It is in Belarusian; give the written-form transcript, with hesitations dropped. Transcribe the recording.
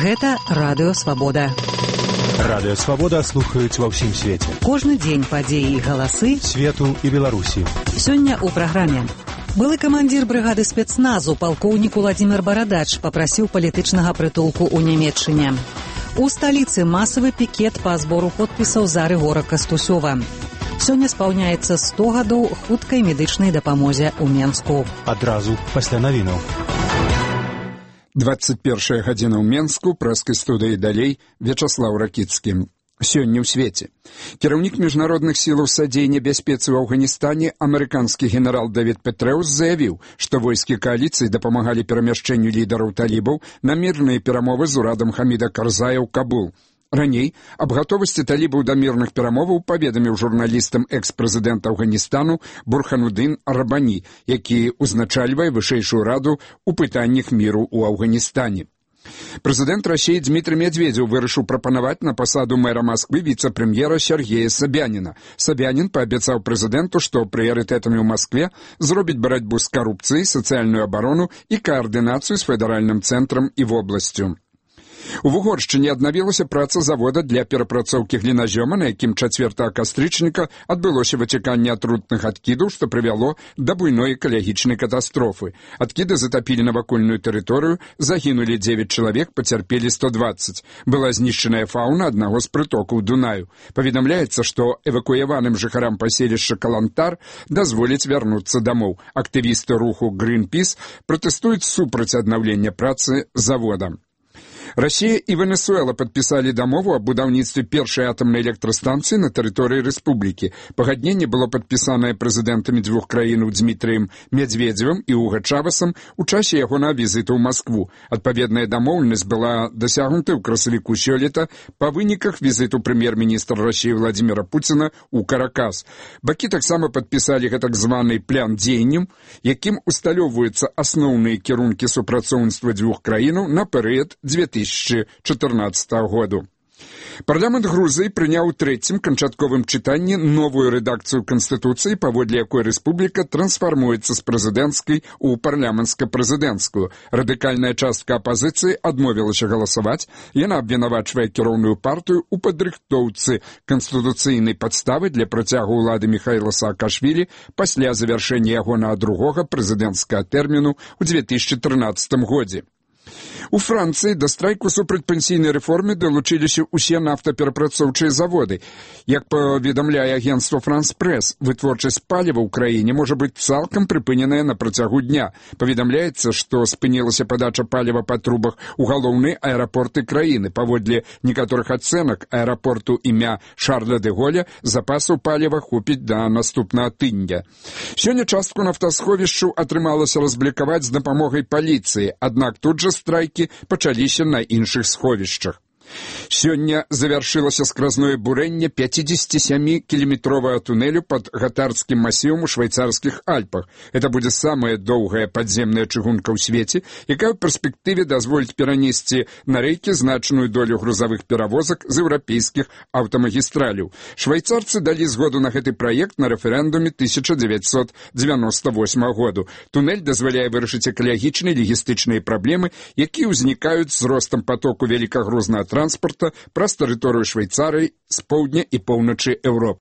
Гэта Радыё Свабода. Радыё Свабода слухаюць ва ўсім свеце. Кожны дзень падзеі і галасы свету і Беларусі. Сёння ў праграме. Былы камандзір брыгады спецназу палкоўнік Уладзімир Барадач папрасіў палітычнага прытулку ў Нямецчыне. У сталіцы масавы пікет па збору подпісаў за Рыгора Кастусёва. Сёння спаўняецца 100 гадоў хуткай медычнай дапамозе ў Менску. Адразу пасля навінаў. 21 гадзіна ў Менску, прэскай студыі далей, Вячаслаў Ракіцкі. Сёння ў свеце. Кіраўнік міжнародных сілаў садзейння бяспецы ў Афганістане, амерыканскі генерал Давід Петрэус заявіў, што войскі кааліцыі дапамагалі перамяшчэнню лідараў талібаў на мірныя перамовы з урадам Хаміда Карзая ў Кабул. Раней аб гатовасці талібаў да мірных перамоваў паведаміў журналістам экс-прэзідэнт Афганістану Бурхануддин Рабані, які узначальвае вышэйшую раду ў пытаннях міру ў Афганістане. Прэзідэнт Расіі Дмітрый Медведзеў вырашыў прапанаваць на пасаду мэра Масквы віцэ-прэм'ера Сергея Собяніна. Собянін паабяцаў прэзідэнту, што прыярытэтамі ў Маскве зробіць барацьбу з карупцыяй, сацыяльную абарону і каардынацыю з федэральным цэнтрам і вобласцю. У Вугоршчыне аднавілася праца завода для перапрацоўкі гліназёма, на якім 4 кастрычніка адбылося выцяканне атрутных адкідаў, што прывяло да буйной экалагічнай катастрофы. Адкіды затапілі навакольную тэрыторыю, загінулі 9 чалавек, пацярпелі 120. Была знішчаная фаўна аднаго з прытокаў Дунаю. Паведамляецца, што эвакуяваным жыхарам паселішча Калантар дазволяць вярнуцца дамоў. Актывісты руху Greenpeace пратэстуюць супраць аднаўлення працы завода. Расія і Венесуэла падпісалі дамову аб будаўніцтве першай атамнай электрастанцыі на тэрыторыі рэспублікі. Пагадненне было падпісанае прэзідэнтамі дзвюх краінаў Дмітрыем Медведзевым і Уга Чавесам у часе ягонага візіту ў Маскву. Адпаведная дамоўленасць была дасягнута ў красавіку сёлета па выніках візіту прэм'ер-міністра Расіі Владзіміра Пуціна ў Каракас. Бакі таксама падпісалі гэтак званы план дзеянняў, якім усталёўваюцца асноўныя кірункі супрацоўніцтва дзвюх краінаў на перыяд 2014 году. Парламент Грузіі прыняў у трэцім канчатковым чытанні новую рэдакцыю Канстытуцыі, паводле якой рэспубліка трансфармуецца з прэзідэнцкай у парламенцка-прэзідэнцкую. Радыкальная частка апазіцыі адмовілася галасаваць. Яна абвінавачвае кіроўную партыю ў падрыхтоўцы канстытуцыйнай падставы для працягу ўлады Міхаіла Саакашвілі пасля завяршэння ягонага другога прэзідэнцкага тэрміну ў 2013 годзе. У Францыі да страйку супраць пенсійнай рэформы далучыліся ўсе нафтаперапрацоўчыя заводы. Як паведамляе агенцтва «Франс-Прэс», вытворчасць паліва ў краіне можа быць цалкам прыпыненая на працягу дня. Паведамляецца, што спынілася падача паліва па трубах у галоўныя аэрапорты краіны. Паводле некаторых ацэнак аэрапорту імя Шарля де Голля запасаў паліва хопіць да наступнага тыдня. Сёння частку нафтасховішчаў атрымалася разблікаваць з дапамогай паліцыі, аднак тут жа страйкі пачаліся на іншых сховішчах. Сёння завяршылася скразное бурэнне 57-кіламетровага тунелю пад гатардскім масівам у швейцарскіх Альпах. Это будзе самая доўгая падземная чыгунка ў свеце, якая ў перспектыве дазволіць перанесці на рэйкі значную долю грузавых перавозак з еўрапейскіх аўтамагістраляў. Швейцарцы далі згоду на гэты праект на рэферэндуме 1998 году. Тунель дазваляе вырашыць экалагічныя і лагістычныя праблемы, якія ўзнікаюць з ростам потоку вялікагрузнага транспорта праз тэрыторыю Швейцарыі з поўдня і поўначы Еўропы.